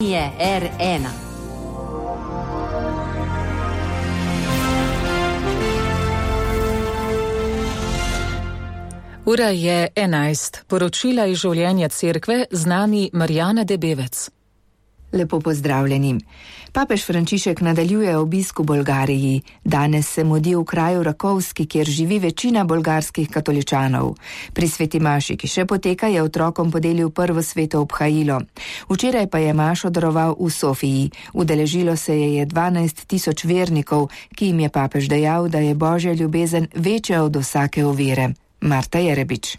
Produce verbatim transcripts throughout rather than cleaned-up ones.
Je R ena. Ura je enajst. Poročila iz življenja cerkve z nami Marjana Debevec. Lepo pozdravljeni. Papež Frančišek nadaljuje obisk v Bolgariji. Danes se mudi v kraju Rakovski, kjer živi večina bolgarskih katoličanov. Pri sveti maši, ki še poteka, je otrokom podelil prvo sveto obhajilo. Včeraj pa je mašo daroval v Sofiji. Udeležilo se je je dvanajst tisoč vernikov, ki jim je papež dejal, da je božja ljubezen večja od vsake ovire. Marta Jerebič.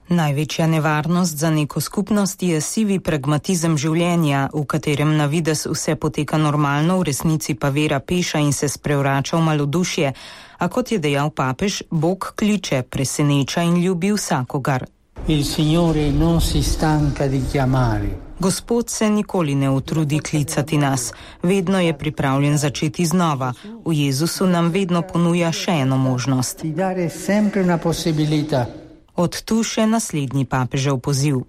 Največja nevarnost za neko skupnost je sivi pragmatizem življenja, v katerem na videz vse poteka normalno, v resnici pa vera peša in se sprevrača v malodušje. A kot je dejal papež, Bog kliče, preseneča in ljubi vsakogar. Il Signore non si stanca di chiamare. Gospod se nikoli ne utrudi klicati nas, vedno je pripravljen začeti znova. V Jezusu nam vedno ponuja še eno možnost. Od tu še naslednji papežev poziv.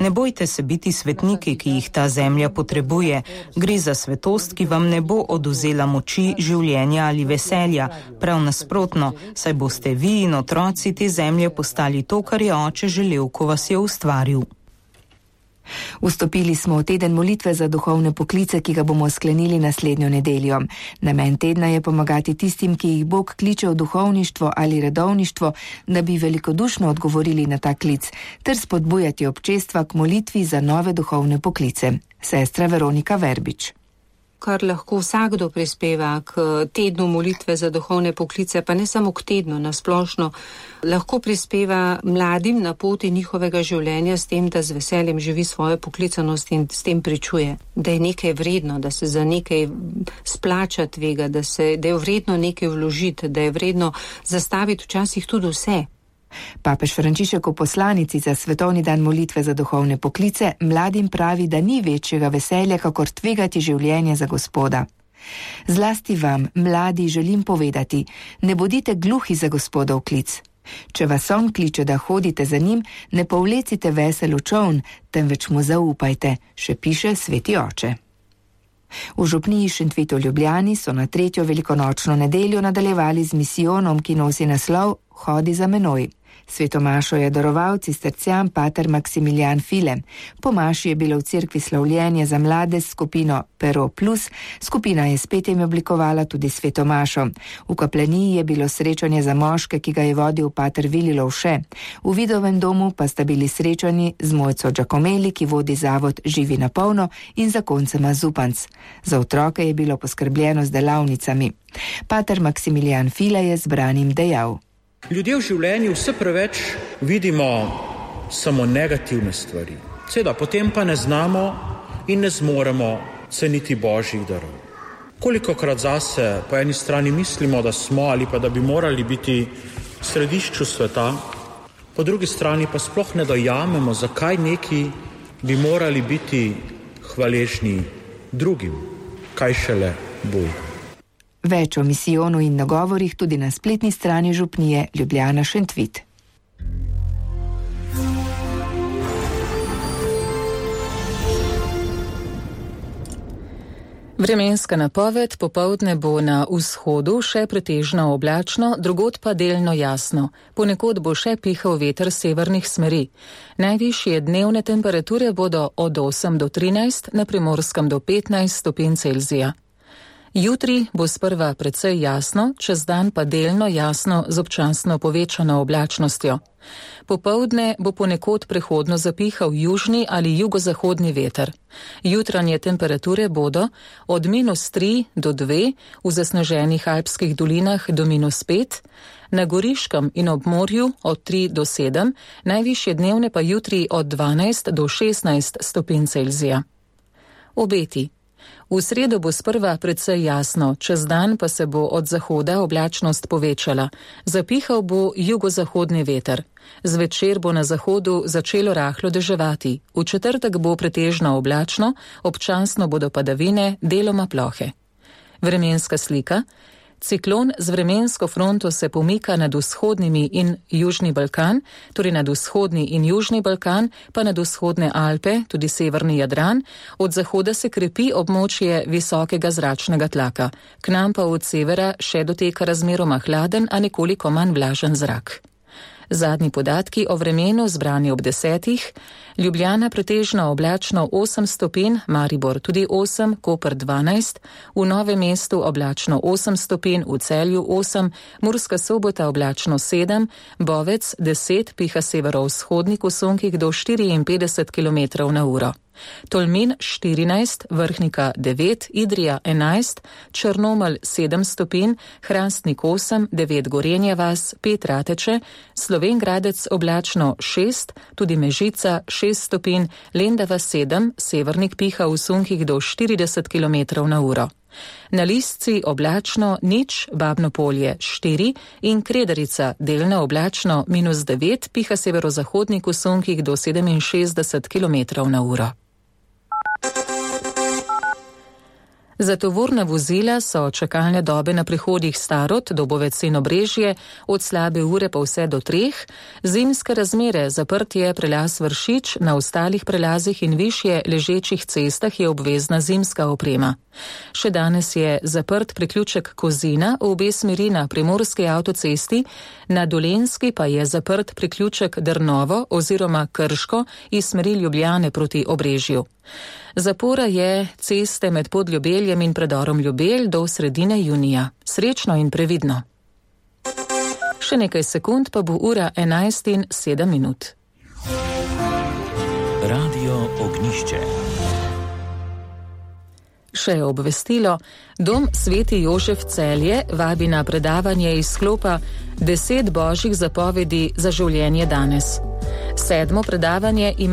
Ne bojte se biti svetniki, ki jih ta zemlja potrebuje. Gre za svetost, ki vam ne bo oduzela moči, življenja ali veselja. Prav nasprotno, saj boste vi in otroci te zemlje postali to, kar je oče želel, ko vas je ustvaril. Vstopili smo v teden molitve za duhovne poklice, ki ga bomo sklenili naslednjo nedeljo. Namen tedna je pomagati tistim, ki jih Bog kliče v duhovništvo ali redovništvo, da bi velikodušno odgovorili na ta klic, ter spodbujati občestva k molitvi za nove duhovne poklice. Sestra Veronika Verbič. Kar lahko vsakdo prispeva k tednu molitve za duhovne poklice, pa ne samo k tednu, nasplošno, lahko prispeva mladim na poti njihovega življenja s tem, da z veseljem živi svojo poklicanost in s tem pričuje, da je nekaj vredno, da se za nekaj splača tvega, da, se, da je vredno nekaj vložiti, da je vredno zastaviti včasih tudi vse. Papež Frančišek v poslanici za svetovni dan molitve za duhovne poklice mladim pravi, da ni večjega veselja, kakor tvegati življenje za Gospoda. Zlasti vam, mladi, želim povedati, ne bodite gluhi za Gospodov klic. Če vas on kliče, da hodite za njim, ne povlecite vesel v čoln, temveč mu zaupajte, še piše sveti oče. V župniji Šentvitu v Ljubljani so na tretjo velikonočno nedeljo nadaljevali z misijonom, ki nosi naslov Hodi za menoj. Sveto mašo je daroval cistercijan pater Maksimilijan File. Po maši je bilo v cerkvi slavljenje za mlade s skupino Pero Plus. Skupina je spet jim oblikovala tudi sveto mašo. V kaplaniji je bilo srečanje za moške, ki ga je vodil pater Vili Lovše. V Vidovem domu pa sta bili srečani z Mojco Giacomeli, ki vodi zavod Živi na polno, in zakoncema Zupanc. Za otroke je bilo poskrbljeno z delavnicami. Pater Maksimilijan File je zbranim dejal. Ljudje v življenju vse preveč vidimo samo negativne stvari. Seveda, potem pa ne znamo in ne zmoremo ceniti božjih darov. Kolikokrat zase po eni strani mislimo, da smo ali pa da bi morali biti v središču sveta, po drugi strani pa sploh ne dojamemo, zakaj neki bi morali biti hvaležni drugim, kaj šele Bogu. Več o misijonu in nagovorih tudi na spletni strani župnije Ljubljana Šentvit. Vremenska napoved: popoldne bo na vzhodu še pretežno oblačno, drugod pa delno jasno. Ponekod bo še pihal veter severnih smeri. Najvišje dnevne temperature bodo od osem do trinajst, na Primorskem do petnajst stopinj Celzija. Jutri bo sprva precej jasno, čez dan pa delno jasno z občasno povečano oblačnostjo. Popoldne bo ponekod prehodno zapihal južni ali jugozahodni veter. Jutranje temperature bodo od minus tri do dve, v zasneženih alpskih dolinah do minus pet, na Goriškem in ob morju od tri do sedem, najvišje dnevne pa jutri od dvanajst do šestnajst stopinj Celzija. Obeti. V sredo bo sprva precej jasno, čez dan pa se bo od zahoda oblačnost povečala. Zapihal bo jugozahodni veter. Zvečer bo na zahodu začelo rahlo deževati. V četrtek bo pretežno oblačno, občasno bodo padavine, deloma plohe. Vremenska slika. Ciklon z vremensko fronto se pomika nad vzhodnimi in južni Balkan, torej nad vzhodni in južni Balkan, pa nad vzhodne Alpe, tudi severni Jadran, od zahoda se krepi območje visokega zračnega tlaka, k nam pa od severa še doteka razmeroma hladen, a nekoliko manj vlažen zrak. Zadnji podatki o vremenu zbrani ob desetih, Ljubljana pretežno oblačno osem stopinj, Maribor tudi osem, Koper dvanajst, v Novem mestu oblačno osem stopinj, v Celju osem, Murska Sobota oblačno sedem, Bovec deset, piha severovzhodnik v sunkih do štiriinpetdeset kilometrov na uro. Tolmin štirinajst, Vrhnika devet, Idrija enajst, Črnomelj sedem stopinj, Hrastnik osem, devet Gorenje vas, pet Rateče, Slovenj Gradec oblačno šest, tudi Mežica šest stopinj, Lendava sedem, Severnik piha v sunkih do štirideset kilometrov na uro. Na Listci oblačno nič, Babno Polje štiri in Kredarica delno oblačno minus devet, piha severozahodnik v sunkih do sedeminšestdeset kilometrov na uro. Za tovorna vozila so čakalne dobe na prehodih Starod, Dobovec in Obrežje od slabe ure pa vse do treh, zimske razmere, zaprt je prelaz Vršič, na ostalih prelazih in višje ležečih cestah je obvezna zimska oprema. Še danes je zaprt priključek Kozina v obe smeri na primorski avtocesti, na Dolenjski pa je zaprt priključek Drnovo oziroma Krško iz smeri Ljubljane proti Obrežju. Zapora je ceste med Podljubeljem in predorom Ljubelj do sredine junija. Srečno in previdno. Še nekaj sekund pa bo ura enajst in sedem minut. Radio Ognjišče. Še obvestilo, Dom Sveti Jožef Celje vabi na predavanje iz sklopa Deset božjih zapovedi za življenje danes. Sedmo predavanje ima